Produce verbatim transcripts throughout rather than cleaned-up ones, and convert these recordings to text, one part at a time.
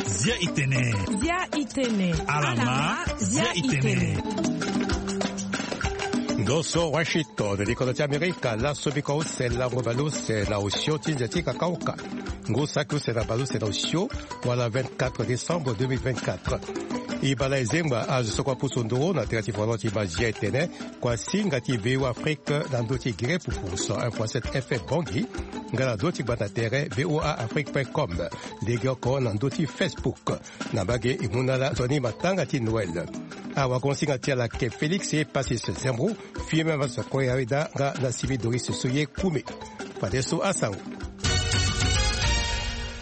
Zia itene. Zia itene. Alama, zia itene. Ndo so Washington, likodo ti Amerika, laso biko use lango bale use na osio ti nze ti kakaoka. Ngu saki use na bale use na osio, wala vingt-quatre décembre deux mille vingt-quatre. E bale ezengba azo so kua pusu nduru na tere ti folo ti baa zia itene, kua singa ti V O A Afrique na ndö ti gere pupu cent un point sept F M Bangui, nga na ndö ti gbata tere V O A Afrique point com, legeoko na ndö ti Facebook. Na mbage e mu na ala nzoni matanga ti Noël. Awagongo singa ti ala ayeke Félix Epassis Zembro, Firmin Massoko Yarida nga na Simi Doris Soye Koume. Fadeso asango.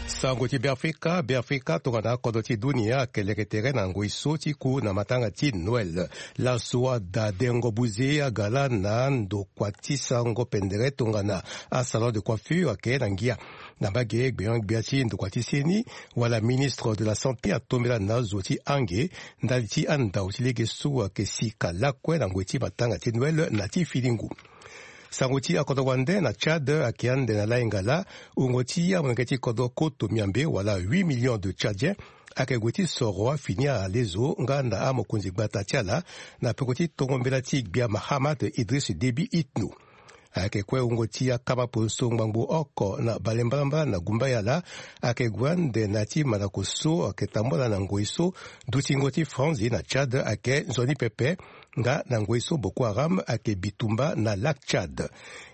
Sango ti Beafrika. Beafrika tongana akodro ti dunia ayeke leke tere na ngoi so ti ku na matanga ti Noël. Laso ada dengo buze aga laa na ndokua ti sango pendere tongana asalon de coiffure ayeke na ngia. Na mbage gbenyo-gbia ti ndokua ti seni wala ministre de la santé atombela na azo ti ange ndali ti andau ti lege so ayeke sika lakue na ngoi ti matanga ti Noël na ti fini ngu. Sango ti akodro wande na Tchad ayeke ande na lainga laa, wungo ti amolenge ti kodro koto miambe wala huit millions de Tchadiens ayeke gue ti soro afini ala lezo nga na amokonzi gbata ti ala na peko ti tongo mbela ti gbia Mahamat Idriss Déby Itno. Ayeke kue wungo ti akama poso ngbangbo oko na bale mbalambala na gumbaya laa, ayeke gue ande na ya ti mandako so ayeke tambula na ngoi so dutingo ti franzi na Tchad ayeke nzoni pepe, nga na ngoi so Boko Haram ayeke bitumba na Lac Tchad.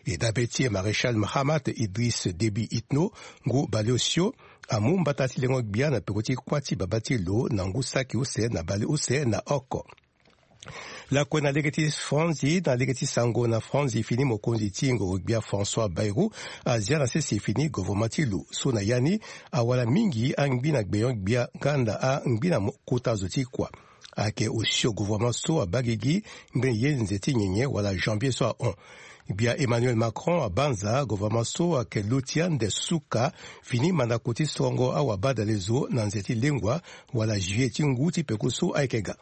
E dabe ti e Maréchal Mahamat Idriss Déby Itno, ngu bale osio, amu mbata ti lengo gbia na peko ti kuâ ti babâ ti lo na ngu saki use na bale use na oko. Lakue na lege ti franzi, na lege ti sango na franzi fini, mokonzi ti ngoro-gbia François Bayrou azia na sese fini governement ti lo so na ya ni awara mingi angbi na gbenyo-gbia nga na angbi na mo-, kota zo ti kua. Ayeke osio governement so abaa gigi ngbene ye nze ti nyenye wala janvier so ahon. Gbia Emmanuel Macron abanza governement so ayeke lo ti ande suka fini mandako ti sorongo awabadale zo na nze ti lengua wala juillet ti ngu ti peko so ayeke ga.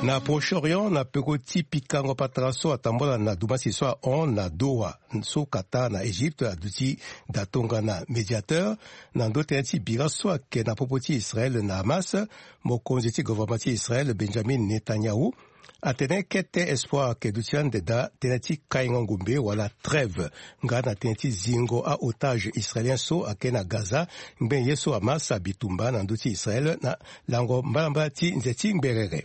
Na Proche-Orient, na peko ti pikango patara so atambula na dumasi so ahon na Doha, so Qatar na Égypte aduti da tongana médiateur, na ndo tënë ti bira so ayeke na popo ti Israël na Hamas, mokonzi ti gouvernement ti Israël Benjamin Netanyahu atene kete espoir ayeke duti ande daa tënë ti kaingo ngombe wala trêve, nga na tënë ti zingo a-otage israélien so ayeke na Gaza, ngbene ye so Hamas abi tumba na ndö ti Israël na lango mbalambala ti nze ti ngberere.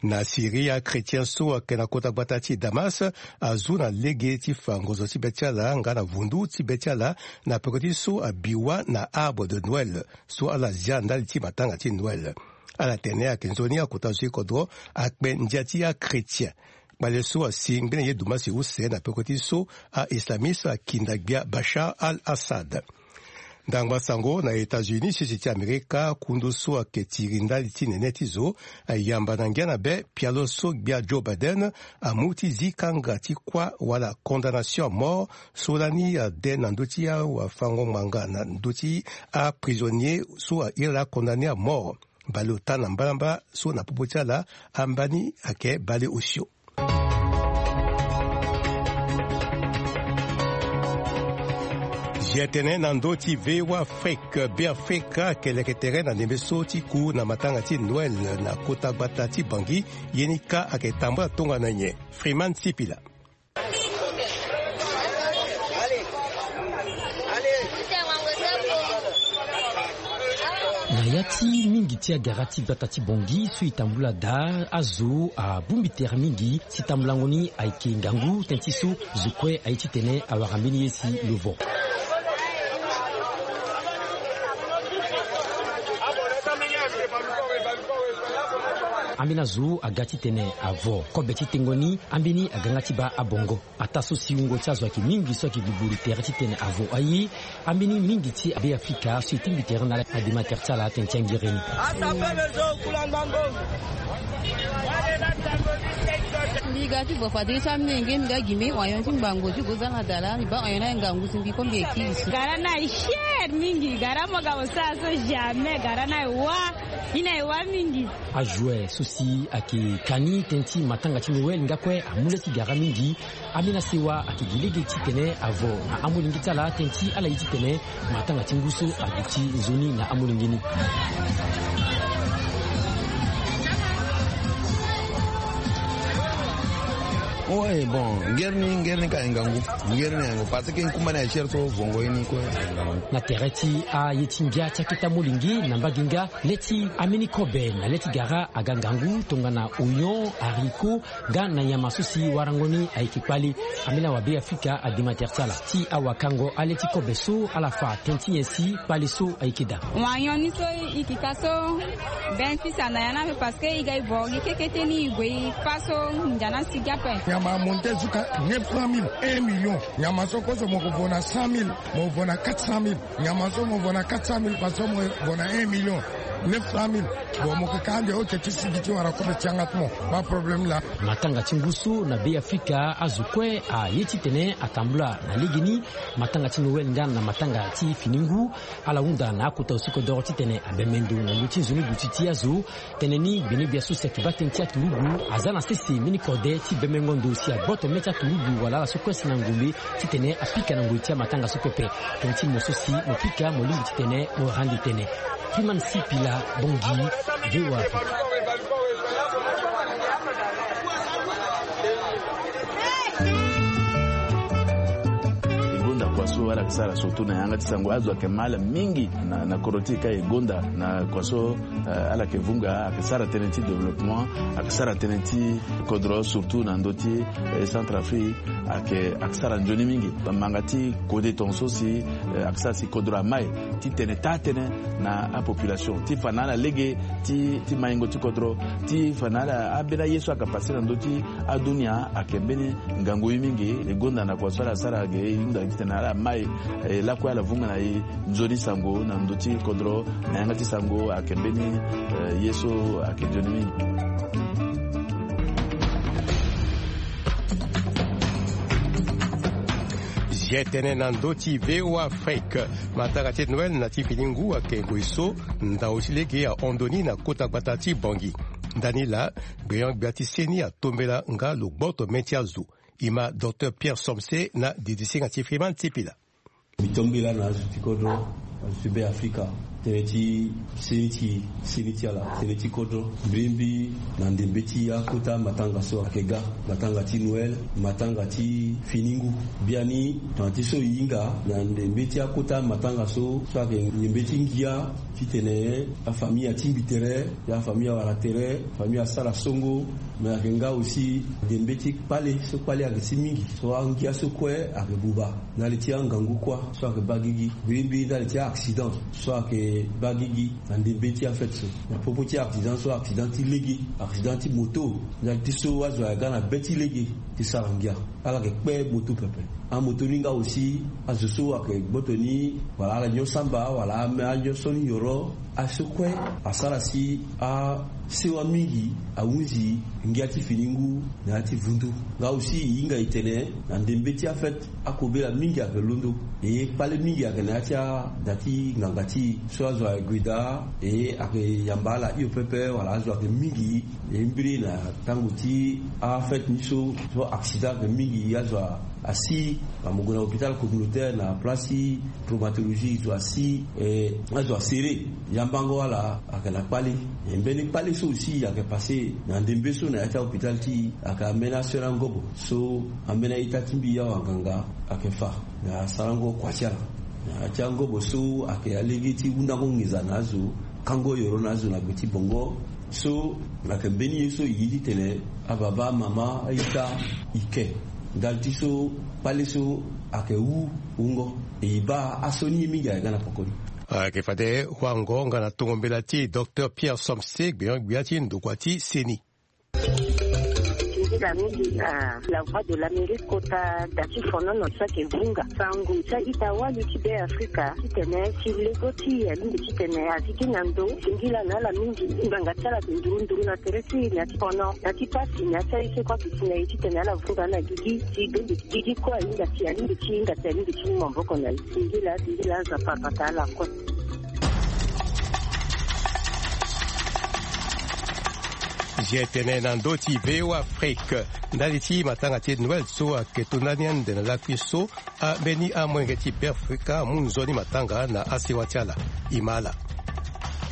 Na Syrie, achrétien so ayeke na kota gbata ti Damas azu na lege ti fa ngonzo ti be ti ala nga na vundu ti be ti ala na peko ti so abi wâ na arbre de Noël so ala zia ndali ti matanga ti Noël. Ala tene ayeke nzoni akota zo ti kodro akpe ndia ti achrétien. Kpale so asi ngbene ye dumasi use na peko ti so a-islamiste akinda gbia Bashar al-Assad. Ndangba sango na États-Unis, sese ti Amerika, kundu so ayeke tiri ndali ti nene ti zo ayamba na ngia na be pialo so gbia Joe Biden amu ti zi kanga ti kuâ wala condamnation à mort so lani ade na ndö ti awafango ngbanga na ndö ti aprisonnier so airi ala condamné à mort. Baleota na mbalambala so na popo ti ala, ambani ayeke bale osio. Zia tene na ndö ti V O A Afrique, Beafrika ayeke leke tere na ndembe so ti ku na matanga ti Noël na kota gbata ti Bangui, ye ni kâ ayeke tambula tongana nyen? Freeman Sipila. Na ya ti mingi ti agara ti gbata ti Bangui so e tambula daa, azo abongbi tere mingi. Si tambulango ni ayeke ngangu tënë ti so zo kue aye titene awara mbeni ye si lo vo. Ambeni azo aga titene avo kobe ti tengo ni, ambeni aga nga ti baa abongo. Ataa so si wungo ti azo ayeke mingi so ayeke gbugburu tere titene avo aye. Ambeni mingi ti aBeafrika so e tingbi tere na ala, adema tere ti ala tene ti angere ni. Mbi ga ti vo fade ti amolenge, mbi ga gi mbi hon nyon ti ngbangbo ti gue za na dala, mbi baa hon nyon na ngangu ti mbi, ko mbi ye kiri so. Gara na e cher mingi, gara mo ga mo sara so jamais, gara na e wâ, ni na e wâ mingi. Ajoue so Si ayeke ka ni tënë ti matanga ti Noël nga kue amu le ti gara mingi. Ambeni asewa ayeke gi lege titene avo na amolenge ti ala tënë ti ala ye titene matanga ti ngu so aduti nzoni na amolenge ni. Ouais, bon, ngeri ni, ngeri ni ka aye ngangu. Ngeri ni aye ngangu parce que nkumba ni aye cher so vongo ye ni kue aye ngangu. Na tere ti aye ti ngia ti akete amolenge na mbage nga, le ti ambeni kobe na le ti gara aga ngangu tongana oignon, haricot, nga na nyama so si warango ni ayeke kpale. Ambeni awabe afrika adi ma tere ti ala ti awakango ale ti kobe so ala fa tënë ti nyen si kpale so ayeke daa. Oignon ni so e yeke ka so, ben fils ana ya ni ape parce que e ga e boro gi kekete ni e gue e fa so ndia ni asi gi ape. Nyama amonte zuka neuf cent mille, un million. Nyama so kozo mo ko vo na cent mille, mo vo na quatre cent mille. Nyama so mo vo na quatre cent mille, parce que mo vo na un million neuf cent mille. Bon, mo ke ka ande oke ti sigi ti wara kobe ti yanga ti mo. Ba problème laa. Matanga ti ngu so na Be Afrika azo kue aye titene atambula na legeni. Matanga ti Noël nga na matanga ti fini ngu, ala hunda na akota osiko doro titene abembe ndo na ndö ti nzoni duti ti azo. Tënë ni gbene gbia so si ayeke baa tënë ti aturugu aza na sese mbeni kode ti bemengo ndo si agboto mê ti aturugu wala ala so kue si na ngombe titene apika na ngoi ti amatanga so pepe. Tënë ti mo so si mo pika mo lingbi titene mo rande tënë. Freeman Sipila, Bangui, V O A. E gonda kua so ala yeke sara surtout na yanga ti sango, azo ayeke ma ala mingi na, na kodro ti e ka e gonda na kua so, eh, ala yeke vunga, ayeke sara tënë ti développement, ayeke sara tënë ti kodro surtout na ndö ti, eh, Centrafrique, ayeke, ayeke sara nzoni mingi. Manga ti kode tongaso si, eh, ayeke sara si kodro amai titene taa tënë na apopulation ti fa na ala lege ti, ti maingo ti kodro, ti fa na ala ambeni aye so ayeke pase na ndö ti adunia ayeke mbeni ngangu ye mingi. E gonda na kua so ala sara ge e hunda titene ala mai, eh, lakue ala vunga na e nzoni sango na ndö ti kodro na yanga ti sango ayeke mbeni, eh, ye so ayeke nzoni mingi. Zia tënë na ndö ti V O A Afrique. Matanga ti Noël na ti fini ngu ayeke ngoi so ndao ti lege ahon ndo ni na kota gbata ti Bangui. Ndani laa, gbenyo-gbia ti seni atombela nga lo gboto mê ti azo. E ma Docteur Pierre Somse na didisinga ti Freeman Sipila. Mbi tombela na azo ti kodro, azo ti Be Afrika, tënë ti seni ti, seni ti ala, tënë ti kodro. Mbirimbi na ndembe ti akota matanga so ayeke ga, matanga ti Noël, matanga ti fini ngu. Biani tongana ti so e hinga na ndembe ti akota matanga so, so ayeke ndembe ti ngia, titene afamille atingbi tere, ya afamille awara tere, famille asara songo. Me ayeke nga aussi ndembe ti kpale so kpale ayeke si mingi, so angia so kue ayeke buba ndali ti angangu kuâ so ayeke baa gigi. Mbirimbi ndali ti a-accident so ayeke baa gigi na ndembe ti afête so. Na popo ti accident so, accident ti lege, accident ti moto, ndali ti so azo ayeke ga na be ti lege ti sara ngia. Ala yeke kpe moto pepe. Amoto ni nga aussi, azo so ayeke gboto ni, wala ala nyon samba, wala ame anyon so ni yoro, aso kue asara si asewa mingi ahunzi ngia ti fini ngu na ya ti vundu. Nga aussi e hinga e tene na ndembe ti afête, akobela mingi ayeke londo. E kpale mingi ayeke na ya ti ada ti nganga ti e. So azo ayeke gue daa, e ayeke yamba ala hio pepe, wala azo ayeke mingi. E mbiri na tango ti afête ni so, so accident ayeke mingi, azo asi, na mo gue na hôpital communautaire na place ti traumatologie, zo asi, eh, azo asere. Yambango ala ayeke na kpale. E mbeni kpale so aussi ayeke pase na ndembe so na ya ti ahôpital ti e, ayeke ambeni asere angobo so ambeni a-ita ti mbi awanganga ayeke fa na asarango kua ti ala. Na ya ti angobo so ayeke alege ti hundango nginza na azo, kango yoro na azo na gbe ti bongo. So ayeke mbeni ye so e ye titene ababa, amama, a-ita e ke ndali ti so kpale so ayeke wu wungo. E baa asioni ye mingi ayeke ga na pokoni. Ayeke fade wango nga na tongo mbela ti Docteur Pierre Somse, gbenyo-gbia ti ndokua ti seni. Ndila mingi na La Voix de l'Amérique kota da ti fonono so ayeke vunga sango ti a-ita wali ti Be Afrika titene ti lego ti e alingbi titene azi gi na ndo. Singila na ala mingi, ngbanga ti ala ayeke nduru nduru na tere ti e na ya ti fono, na ya ti pasi, na ya ti aye so kue ayeke si na e titene ala vunga na gigi ti bembe ti gigi kue ahinga si alingbi ti hinga si alingbi ti mu maboko na e. Singila, singila, Nzapa abata ala kue. Zia tene na ndö ti V O A Afrique, ndali ti matanga ti Noël so ayeke to ndani ande na lakui so, ambeni amolenge ti Beafrika amu nzoni matanga na asewa ti ala. E ma ala.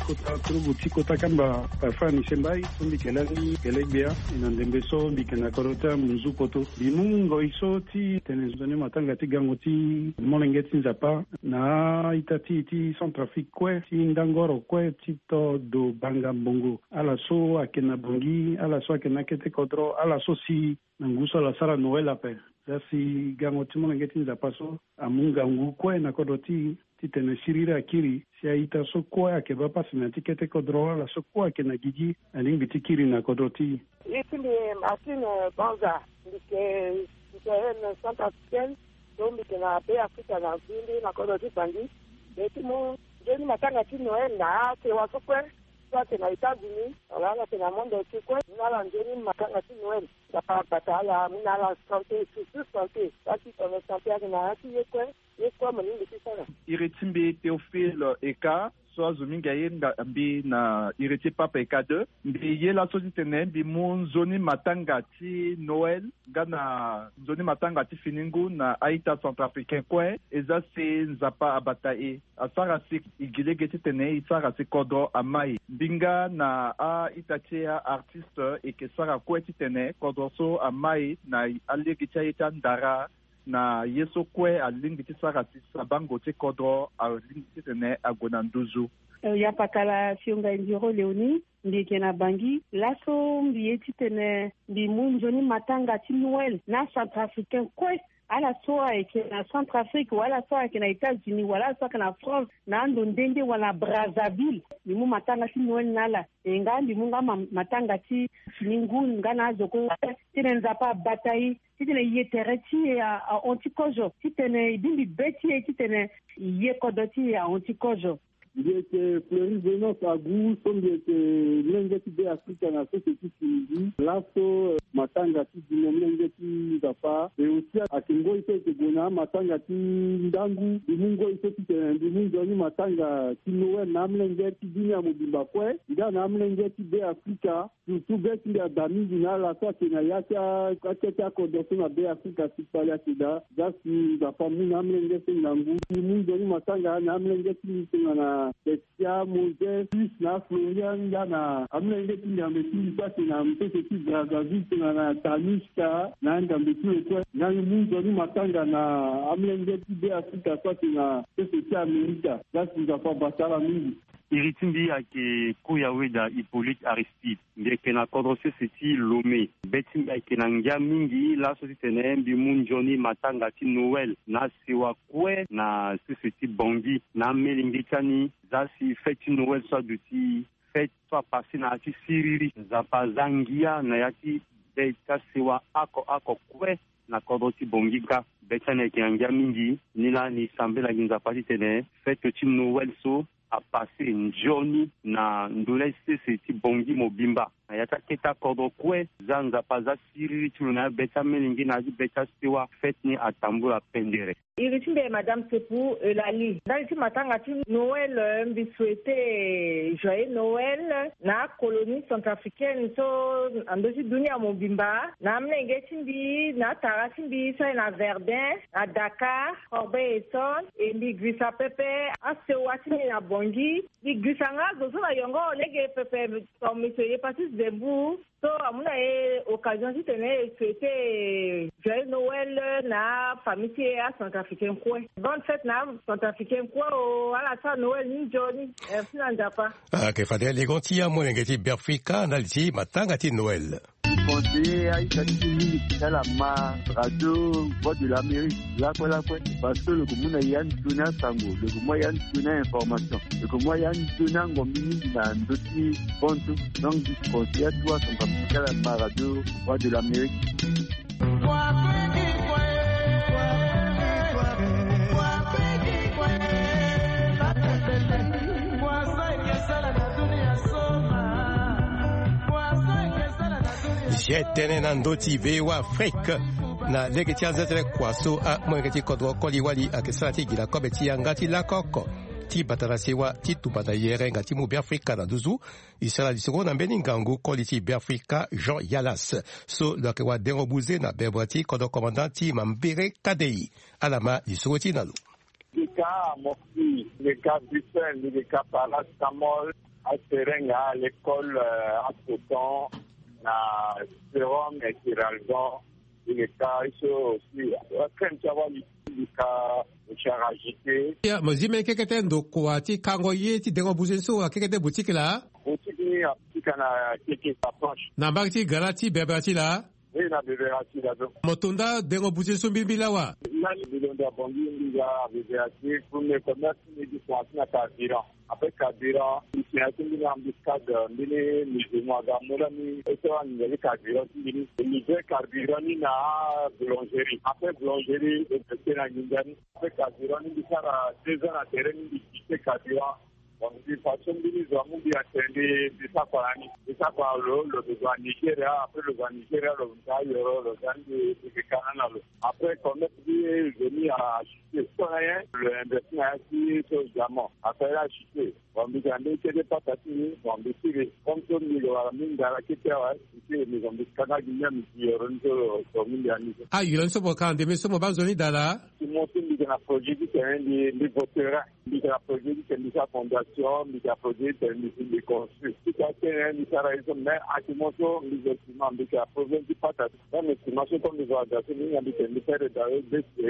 Kota turugu ti kota kamba Parfois Michel Mbaye so mbi yeke lani gelegbia, e na ndembe so mbi yeke na kodro ti amunzu poto. Mbi mu ngoi so ti tene nzoni matanga ti gango ti molenge ti Nzapa na a-ita ti e ti Centrafrique kue, ti ndangoro kue ti to do banga mbongo. Ala so ayeke na Bangui, ala so ayeke na akete kodro, ala so si na ngu so ala sara Noël ape. Za si gango ti molenge ti Nzapa so amu ngangu kue na kodro ti e, titene siriri akiri, si a-ita so kue ayeke baa pasi na ya ti kete kodro, ala so kue ayeke na gigi, alingbi ti kiri na kodro ti e. Ye ti mbi Martine Banza, mbi yeke citoyenne centrafricaine, so mbi yeke na Beafrika na Bangui, na kodro ti Bangui. Mbi ye ti mu nzoni matanga ti Noël na asewa so kue, so ayeke na États-Unis wala ala yeke na monde entier kue, mu na ala nzoni matanga ti Noël. Nzapa abata ala, mu na ala santé, surtout santé. Parce que tongana santé ayeke na ya ti ye kue, ye kue mo lingbi ti sara. Iri ti mbi Théophile Eka, so azo mingi aye nga mbi na iri ti Pape Eka deux. Mbi ye laso titene mbi mu nzoni matanga ti Noël nga na nzoni matanga ti fini ngu na a-ita centrafricain kue. E za si Nzapa abata e, asara si e gi lege titene e sara si kodro ama e. Mbi nga na a-ita ti e, a-artiste, e yeke sara kue titene kodro so ama e na alege ti aye ti andara, na ye so kue alingbi ti sara si sabango ti kodro alingbi titene ague na nduzu. Eh, ya patara Fionga Indiro Léonie, mbi yeke na Bangui. Laso mbi ye titene mbi mu nzoni matanga ti Noël na Centrafricain kue. Ala so ayeke na Centrafrique, wala ala so ayeke na États-Unis, wala ala so ayeke na France, na ando nde nde, wala na Brazzaville. Mbi mu matanga ti Noël na ala. E nga mbi mu nga ma-, matanga ti fini ngu nga na azo kue. Titene Nzapa abata e, titene ye tere ti e a, ahon ti kozo, titene e bongbi be ti e, titene ye kodro ti e ahon ti kozo. Mbi yeke Fleury Venance Agu, so mbi yeke mlenge ti Beafrika na sese ti Tunisie. Laso, eh, matanga ti dimo mlenge ti Nzapa. E aussi ayeke ngoi so e yeke gue na matanga ti ndangu. Mbi mu ngoi so titene mbi mu nzoni matanga ti Noël na amlenge ti dunia mobimba kue, nga na amlenge ti Beafrika. Surtout be ti mbi ada mingi na ala so ayeke na ya ti a-, akete akodro so na Beafrika si kpali ayeke daa. Za si Nzapa amu na amlenge so ngangu. Mbi mu nzoni matanga na amlenge ti mbi tongana Bestia, Moses, Fils na Florian, nga na amlenge ti Nzambe ti mbi so ayeke na sese ti Brazzaville tongana Tanushka na Nzambe ti lo kue. Nga mbi mu nzoni matanga na amlenge ti Beafrika so ayeke na sese ti Amerika. Za si Nzapa abata ala mingi. Iri ti mbi ayeke Koyaweda Hippolyte Aristide. Mbi yeke na kodro sese ti Lomé. Be ti mbi ayeke na ngia mingi laso titene mbi mu nzoni matanga ti Noël na asewa kue na sese ti Bangui na amelenge ti ani. Za si fête ti Noël so aduti, fête so apassé na ya ti siriri. Nzapa aza ngia na ya ti be ti asewa oko oko kue na kodro ti Bangui kâ. Be ti ani ayeke na ngia mingi. Ni laa ni sambela gi Nzapa titene fête ti Noël so apassé nzoni na ndolai sese ti Bangui mobimba. Na ya ti akete akodro kue, za Nzapa aza siriri ti lo na ya be ti amelenge na ya ti be ti asewa, fête ni atambula pendere. Iri ti mbi Madame Sepou Eulalie. Ndali ti matanga ti Noël, euh, mbi souhaité joyeux Noël na colonie centrafricaine so na ndö ti dunia mobimba, na amolenge ti mbi, na atara ti mbi so aye na Verdun, na Dakar, Corbeil-Essonnes, e mbi girisa pepe asewa ti mbi na Bangui. Mbi girisa nga azo so na yongoro lege pepe, ton monsieur Hépatite Debout, so amu na e occasion titene e souhaité joyeux Noël na afamille ti e acentrafricain kue. Bonne fête na acentrafricain kue o, ala sara Noël ni nzoni. Merci na Nzapa. Ayeke fade legon ti amolenge ti Beafrika ndali ti matanga ti Noël. Conseiller aita ti mingi ti ala ma radio Voix de l'Amérique lakue lakue, parce que lo yeke mu na ya nzoni asango, lo yeke mu ya nzoni a-information, lo yeke mu ya nzoni angombi mingi na ndö ti bantu. Donc mbi conseiller atu asango ti ala ma radio Voix de l'Amérique. Zia tënë na ndö ti V O A Afrique na lege ti anze ti le kua so amolenge ti kodro koli wali ayeke sara ti gi na kobe ti yanga ti lako oko. ti bata na sewa ti tumba na yere nga ti mu Beafrika na nduzu. E sara lisoro na mbeni ngangu koli ti Beafrika Jean Yalas, so lo yeke wadengo buze na bebere ti kodro komandan ti Mambere Kadei. Ala ma lisoro ti e na lo. Mbi ka Moxie, mbi ka Bruxelles, mbi ka paracetamol, aserenga, à l'école, euh, apoton, na sérum, et Kiralgon, mbi ka iso aussi, crème ti awali, mbi ka mouchard agité. Ya, mo zi mbeni kekete ndokua ti kango ye ti dengo buze so akekete boutique laa? Boutique ni aboutique na keke approche. Na mbage ti gara ti bebere ti laa? Oui, na bebere ti laa so. Mo to nda dengo buze so mbilimbili awa? Lani mbi londo abongi mbi ga bebere ti premier commerce ni ti commencer na carburant. Après carburant, mbi tene ti mbeni embuscade, mbeni musulman aga mu lani e sara nginza ti carburant ti mbi ni. E livrer carburant ni na boulangerie. Après boulangerie e reste na nginza ni. Après carburant ni mbi sara deux ans na terrain ni mbi quitter carburant. Donc mbi façon mbeni zo amu mbi atene mbi sara kua na ni. Mbi sara kua na lo, lo zo na Nigeria, après lo zo na Nigeria, lo zo na ayoro, lo zo na ni, mbi yeke ka na ni na lo. Après commerce ti nzoni achuté. So na nyen? Lo investi na ya ti so diamant. Asara ye achuté. Bon, mbi ga mbeni kete pata ti mbi, bon, mbi sigi. Comme so mbi lo wara mbi ndara kete awe, mbi sigi, mbi zo mbi kanga gi mia mbi ti yoro ni so lo so mbi andi so. Ah, yoro ni so mo ka ande mbi so mo baa nzoni daa laa? Ti mo so mbi ga na projet ti tene mbi, mbi voterin. Mbi ga na projet ti tene mbi sara fondation, mbi ga na projet ti tene mbi, mbi construire. Ti ka tene mbi sara ye so, mais actuellement so mbi zo sima, mbi ga na problème ti pata. Même sima so comme mbi zo aga so mbi hinga mbi tene mbi sara daa ye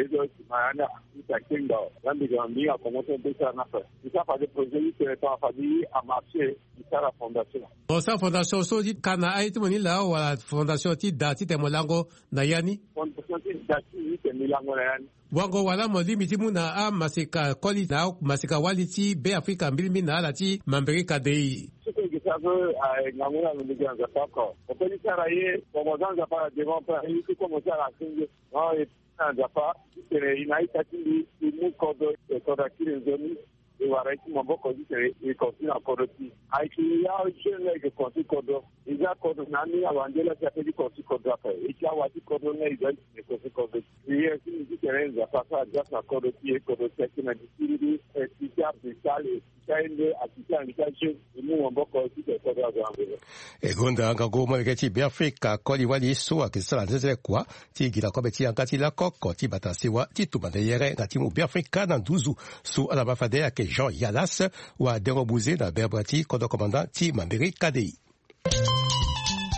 so sima ya ni. Mbi sara kengba, la mbi ga mbi hinga komo so mbi sara na fa. Mbi sara fade projet ti tene tongana fade amarché, mbi sara fondation. Bon, sara fondation so ti ka na aye ti mo ni laa wala fondation ti da ti tene mo lango na ya ni? Fondation ti da ti tene mbi lango na ya ni. Wango wala mo lingbi ti mu na amaseka koli na amaseka wali ti Beafrika mbilimbili na ala ti Mambere Kadei? So kue gi sara so, ah, ngangu na lo mbi gi na Nzapa oko. Mo koli sara ye, mo mo za Nzapa na devant pe, ye so kue mo sara asenge. Non, e na Nzapa ti tene e na a-ita ti mbi e mu kodro, e kodro akiri nzoni, e wara ye ti maboko ti tene e kontinue na kodro ti e. Ayeke ya jeune la e yeke kontinue kodro. E za kodro na ambeni awande la si ape ti kontinue kodro ape. E ti awa ti kodro nga e za ti tene e kontinue kodro. Prière ti mbi ti tene Nzapa asara grâce na kodro ti e, kodro ti akiri na gi ti mbi, e ti ti abe sale. Ti aye nde akiti anga ti ajeune e mu maboko ti tene kodro azo na nzoni. E gonda ngangu molenge ti Beafrika koli wali so ayeke sara nzenzele kua ti gi na kobe ti yanga ti lakoko ti bata sewa ti tumba na yere nga ti mu Beafrika na nduzu. So ala ma fade ayeke Jean Yalas, wadengo buze na bebere ti kodro komandan ti Mambere Kadei.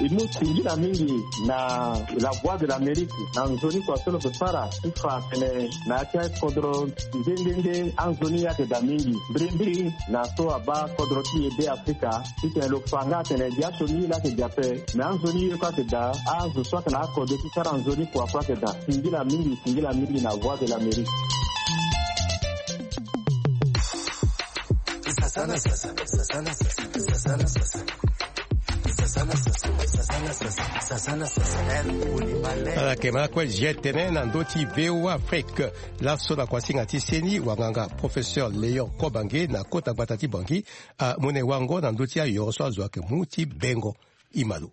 E mu singila mingi na La Voix de l'Amérique na nzoni kua so lo yeke sara ti fa atene na ya ti akodro nde nde nde anzoni ayeke daa mingi. Mbirimbiri na so abaa kodro ti e Beafrika ti tene lo fa nga atene gi asioni ye la ayeke gi ape, me anzoni ye kue ayeke daa, azo so ayeke na akodro ti sara nzoni kua kue ayeke daa. Singila mingi, singila mingi na Voix de l'Amérique. Ala yeke ma kue zi tene na ndö ti V O A Afrique. Laso na kuasinga ti seni wanganga professeur Léon Kobange na kota gbata ti Bangui amu na e wango na ndö ti ayoro so azo ayeke mu ti bengo. E ma lo.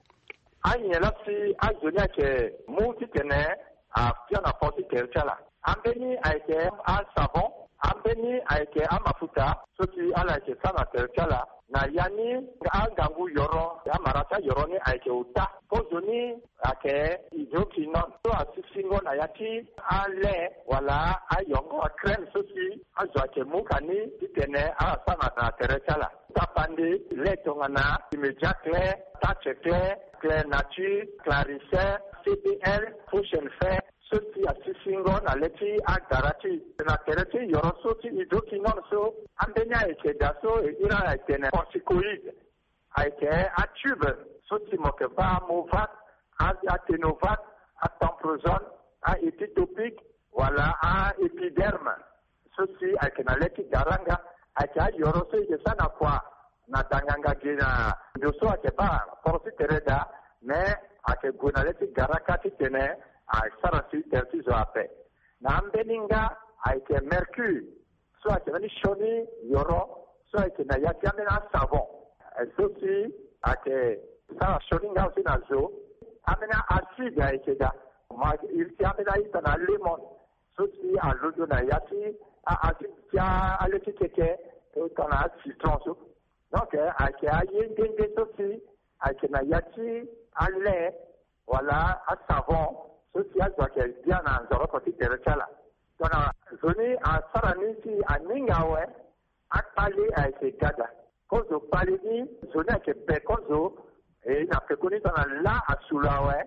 Anyen laa si azo ni ayeke mu titene afia na port ti tere ti ala. Ambeni ayeke asavon, ambeni ayeke amafuta so si ala yeke sara na tere ti ala. Na ya ni angangu yoro, amara ti ayoro ni ayeke ota. Kozoni ayeke hydroquinone so asisingo na ya ti ale wala ayongo, acrème so si azo ayeke mu ka ni titene ala sara na tere ti ala. Tapande le tongana Immédiat Clair, Touch Clair, Clair Nature, Clarissin, C B L, Potion Fair, so si asisingo na le ti agara ti e. Na tere ti yoro so ti hydroquinone so, ambeni ayeke daa so e iri ala e tene corticoïde. Ayeke atube so si mo yeke baa Movat, a, Atenovat, Atomprozone, a-Epitopique, wala a-Epiderme. So si ayeke na le ti garanga, ayeke ayoro so e yeke sara na kua na danganga gi na ndo so ayeke baa poro ti tere daa, me ayeke gue na le ti garaka titene asara si tere ti zo ape. Na ambeni nga ayeke mercure, so ayeke mbeni sioni yoro so ayeke na ya ti ambeni asavon. Eh, so si ayeke sara sioni nga aussi na zo. Ambeni a-acide ayeke daa. Ma iri ti ambeni a-ita na alemon so si alondo na ya ti a-acide ti a, ale ti keke, Tongana acitron so. Donc ayeke aye nde nde so si ayeke na ya ti alait wala asavon so si azo ayeke bia na nzoroko ti tere ti ala. Tongana zo ni asara ni si aninga awe, akpale ayeke gada. Kozo kpale ni zo ni ayeke be kozo. E na pekoni tongana la asu lo awe,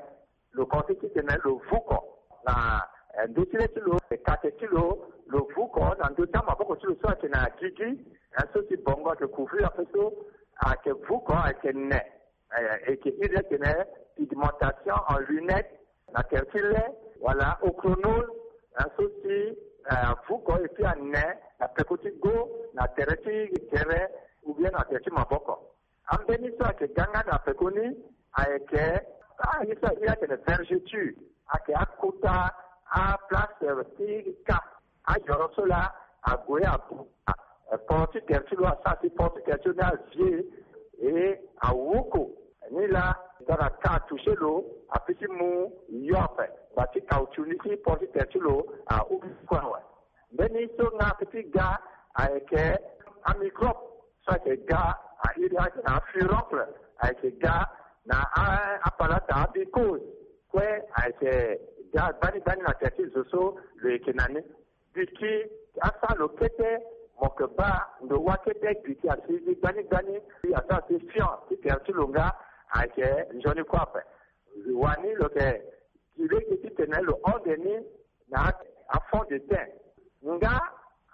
lo konse titene lo vuko na ndö ti le ti lo, kate ti lo, lo vuko na ndö ti amaboko ti lo so ayeke na gigi. So si bongo ayeke couvrir ape so ayeke vuko ayeke ne. Eke iri atene pigmentation en lunette na tere ti le, wala ochronose. So si avuko epui ane na peko ti go na tere ti gere, ou bien na tere ti maboko. Ambeni so ayeke ga nga na peko ni ayeke aye so aye atene vergeture, ayeke akota aplace ti ka. Ayoro so laa ague abuka port ti tere ti lo, asara si port ti tere ti lo ni avie e awoko. Ni laa tongana ka atouche lo, ape ti mu yo ape, ba ti kautu ni ti port ti tere ti lo ahubi kue awe. Mbeni so nga ape ti ga ayeke amicrobe so ayeke ga, airi ayeke na afuroncle, ayeke ga na apalata, amicose kue, ayeke ga gbani gbani na tere ti zo so lo yeke na ni. Biki asara lo kete, mo yeke baa ndo wa kete, biki asi ni gbani gbani, asara si fion ti tere ti lo nga ayeke nzoni kue ape. Wani lo yeke gi lege titene lo hon de ni na afond de teint. Nga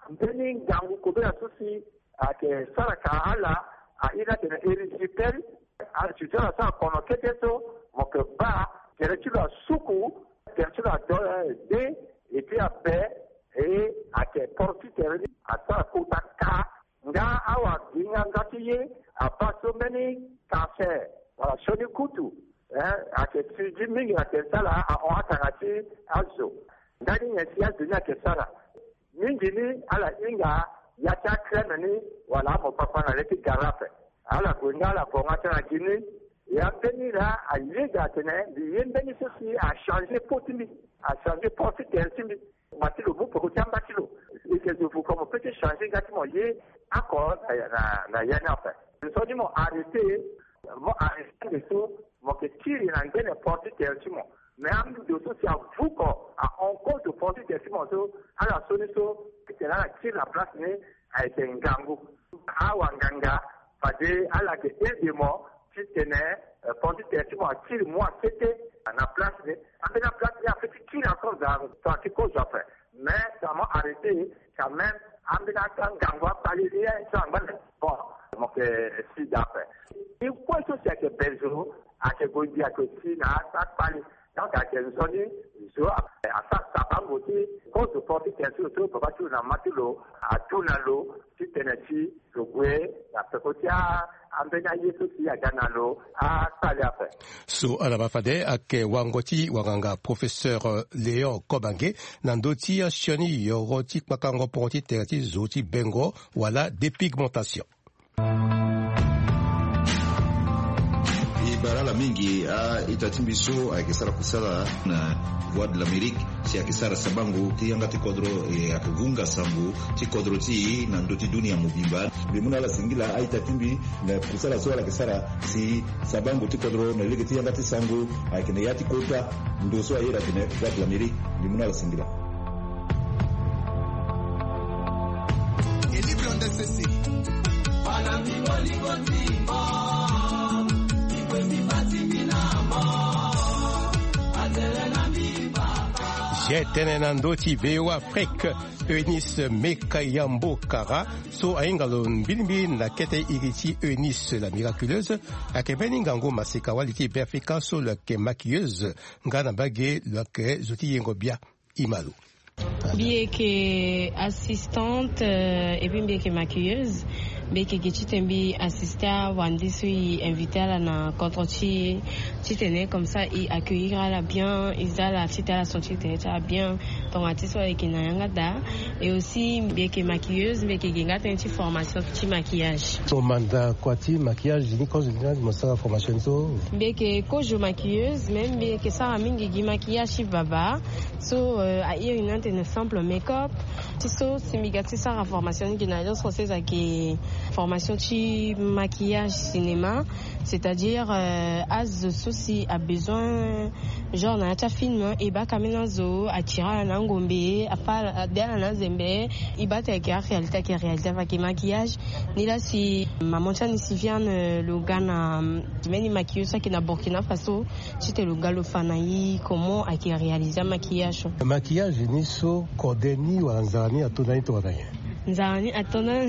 mbeni ngangu kobela so si ayeke sara ka ala, airi atene erysipelas. Azo ti ala asara kono kete so, mo yeke baa tere ti lo asuku, tere ti lo ado de, epui abe, e ayeke poro ti tere ni asara kota ka. Nga awa gi nga nga ti ye abaa so mbeni cancer wala sioni kutu, eh, ayeke sigi mingi na tere ti ala, ahon atanga ti azo. Ndani nyen si azo ni ayeke sara? Mingi ni ala hinga ya ti acrème ni wala amokpakpa na le ti gara ape. Ala gue nga ala bonga tënë na gi ni. Ya mbeni laa ayeda atene mbi ye mbeni so si achanger peau ti mbi, achanger port ti tere ti mbi. Ngba ti lo mu peko ti amba ti lo. Eke zo vuko mo peut ti changer nga ti mo ye oko na, na, na ya ni ape. Nzoni mo arrêter, mo arrêter ande so mo yeke kiri na ngbene port ti tere ti mo. Mais ando so si avuko, ahon kozo port ti tere ti mo so, ala so ni so, titene ala kiri na place ni, ayeke ngangu. Awa nganga fade ala yeke aide mo titene, eh, port ti tere ti mo akiri mo akete na place ni. Ambeni aplace ni apeut ti kiri encore, za, za ti kozo ape. Mais ça m'a arrêté quand même. Ambeni ata ngangu akpali ni, eh, so angba na bon, mo yeke si da ape. Ni kue so si ayeke be zo, ayeke gue gi ayeke si na ata akpali. Donc ayeke nzoni zo asara sabango ti kozo port ti tere ti lo so baba ti lo na mama ti lo atu na lo titene ti lo gue na peko ti a, ambeni aye so si aga na lo akpali ape. So ala ma fade ayeke wango ti wanganga professeur Léon Kobange na ndö ti asioni yoro ti kpakango poro ti tere ti zo ti bengo wala dépigmentation. E bara ala mingi a-ita ti mbi so ayeke sara kusala na Voix de l'Amérique, si ayeke sara sabango ti yanga ti kodro, e ayeke vunga sango ti kodro ti e na ndö ti dunia mobimba. Mbi mu na ala singila a-ita ti mbi na kusala so ala yeke sara si sabango ti kodro na lege ti yanga ti sango ayeke na ya ti kota ndo so ayeda atene Voix de l'Amérique. Mbi mu na ala singila. Zia tënë na ndö ti V O A Afrique. Eunice Mekayambo Kara so ahinga lo mbilimbili na kete iri ti Eunice la miraculeuse, ayeke mbeni ngangu maseka wali ti Beafrika so lo yeke maquilleuse nga na mbage lo yeke zo ti yengo bia. Imalo. Mbi yeke assistante, euh, et puis mbi yeke maquilleuse. Mbi yeke gi titene mbi assiste awande so e invite ala na contre ti e, titene comme ça e accueillir ala bien, e za ala titene ala senti titene ti ala bien. Tonga ti so ayeke na yanga daa. Et aussi mbi yeke maquilleuse, mbi yeke gi nga tënë ti formation ti maquillage. Mo manda kua ti maquillage ni kozo ni na mo sara formation ni so? Mbi yeke kozo maquilleuse, mais mbi yeke sara mingi gi maquillage ti baba. So euh, a iri ni atene simple make-up. Ti so si mbi ga ti sara formation ni gi na Alliance Française ayeke formation ti maquillage cinéma. C'est-à-dire euh, azo so si a besoin genre na ya ti afilm, e baka ambeni azo atira ala na ngombe, afa ade ala na azembe. E baa ti ayeke aréalité, ayeke réalité, ayeke maquillage. Nilaa si maman ti ani si viane lo ga na mbeni maquilleuse so ayeke na Burkina Faso, titene lo ga lo fa na e comment ayeke réaliser amaquillage so. Maquillage ni so kode ni wala nzara ni ato na ni tongana nyen? Nzara ni ato na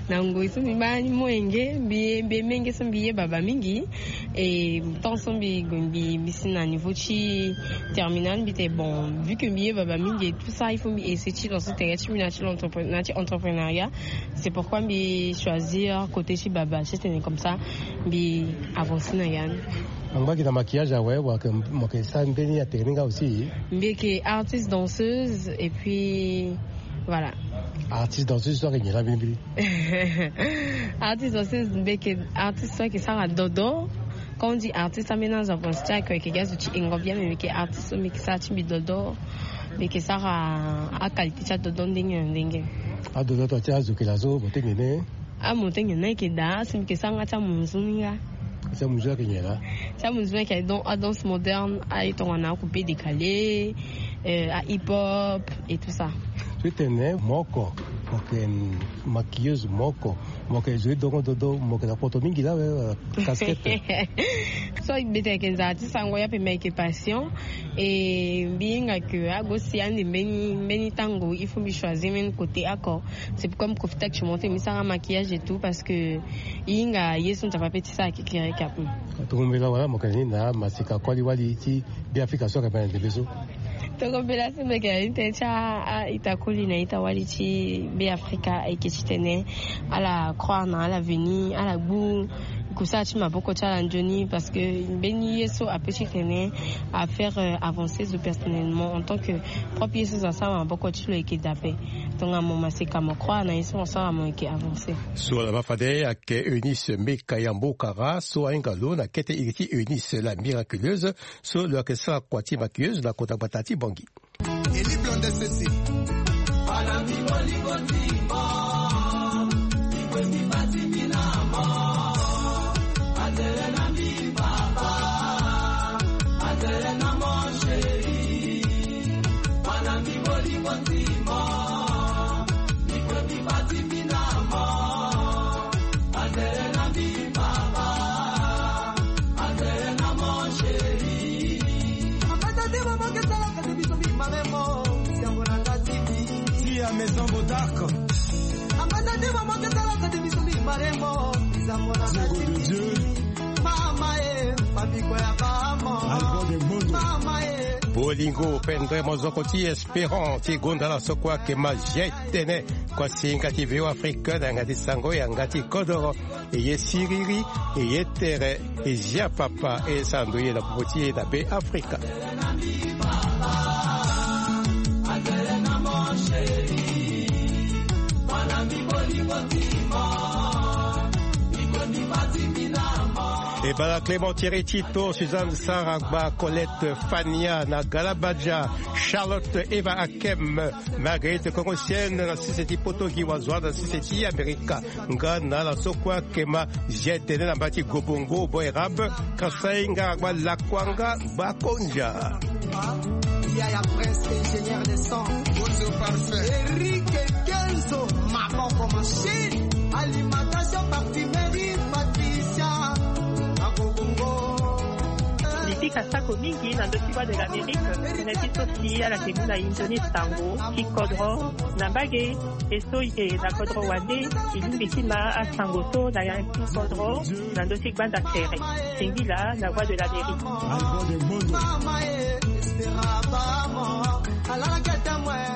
na ngoi so mbi baa ni molenge, mbi ye mbi ye menge so mbi ye baba mingi. Et temps so mbi gue mbi mbi si na niveau ti terminal, mbi tene bon, vu que mbi ye baba mingi et tout ça, il faut mbi essayer ti lancer tere ti mbi na ti l'entrepre- na ti entrepreneuriat. C'est pourquoi mbi choisir côté ti baba titene comme ça mbi avancer na ya ni. Angba gi na maquillage awe wala ke mo ke sara mbeni atere ni nga aussi? Mbi yeke artiste danseuse et puis voilà. Artiste danseuse so ayeke nyen laa mbeni mbeni? Artiste danseuse mbi yeke artiste so ayeke sara dodo. Quand on dit artiste ambeni azo apense ti ayeke gi azo ti engo bien, mais mbi yeke artiste so mbi yeke sara ti mbi dodo. Mbi yeke sara aqualité ti adodo ndenge na ndenge. Adodo ato ti azo yeke laa so mo tenge ne? Amontagne ni ayeke daa, si mbi yeke sara nga ti amunzu ni nga. Ti amunzu ayeke nyen laa? Ti amunzu ni ayeke adon- adanse moderne, aye tongana akupe décalé, euh, ahip-hop et tout ça. Titene mo oko mo yeke maquilleuse, mo oko mo yeke zo ti dongo dodo, mo yeke na poto mingi laa awe, euh, casquette. So mbi tene ayeke nzara ti sango ya pe mbi ayeke passion. Et mbi hinga ke ague si ande mbeni mbeni tango il faut mbi choisir mbeni côté oko. C'est pourquoi mbi profite actuellement ti mbi sara maquillage et tout parce que e hinga ye so Nzapa pe ti sara kekereke ape. Tongombe laa wala mo yeke na ni na maseka koli wali ti Beafrika so ayeke baa na ndembe so? Tongombe laa so mbi yeke na ni tënë ti a- a- ita koli na ita wali ti Beafrika ayeke titene ala croire na ala veni, ala gbu kusala ti maboko ti ala nzoni, parce que mbeni ye so ape titene a faire euh, avancer zo personnellement en tant que propre ye so zo asara maboko ti lo ayeke dape. Tongana mo maseka mo croire na ye so mo sara mo yeke avancer. So ala baa fade ayeke Eunice Meka Yambo Kara so ahinga lo na kete iri ti Eunice la miraculeuse, so lo yeke sara kua ti maquilleuse na kota gbata ti Bangui. Eli Blonde Sese. Tia Maison Bodark. Diego de Dieu. Mama e, famiko ya bamo. Album de Mono. Mama e. Bolingo pendre mozoko ti Espérant ti gonda la so kue ayeke ma Jetene. Kua singa ti V O Afrique na yanga ti sango yanga ti kodoro. E ye siriri, e ye tere, e zia papa, e sara ndoye na popo ti e na Be Afrika. E bala Clément Thierry Tito, Suzanne Saragba, Colette Fania na Galabadia, Charlotte Eva Akem, Marguerite Kongo Sienne na sese ti poto gi wazoa na sese ti Amerika. Nga na ala so kue ayeke ma zia tene na mba ti Gobongo, Boerab, Kasai, Ngaragba, Lakwanga, Bakonja. Yaya Prince, ingénieur de son. Gonzo Parfait. Eric Kenzo, maboko machine. Alimentation, parfumerie, Patricia. Na Gobongo. Eh. Asako mingi na ndö ti Voix de l'Amérique. Tënë ti so si ala yeke mu na e nzoni sango ti kodro na mbage. E so e yeke na kodro wande, e lingbi ti ma asango so na ya ti kodro na ndö ti gbanda tere. Singila na Voix de l'Amérique.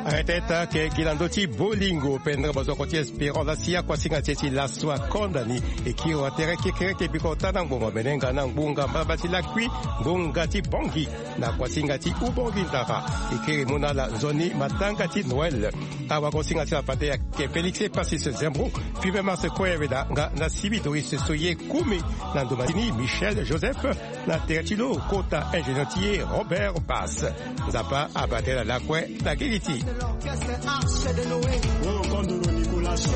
Arrête ta ke gi na ndö ti bolingo pendere bozoko ti Espérant la si akuasinga ti e ti laso akonda ni. E kiri wa tere kekereke bikota na ngbonga menenga na ngbonga mbalambala ti lakui, ngbonga ti bongi na kuasinga ti ubongi ndara. E kiri mu na ala nzoni matanga ti Noël. Awagosinga ti la fade ayeke Félix Epasis Zembro, Fibe Mars Koyeve da nga na Sibi Doris so ye kumi na ndoma ti ni Michel Joseph, na tere ti lo kota ingénieur ti ye Robert Bass. Nzapa abate na lakue na gigi ti. Nicolas.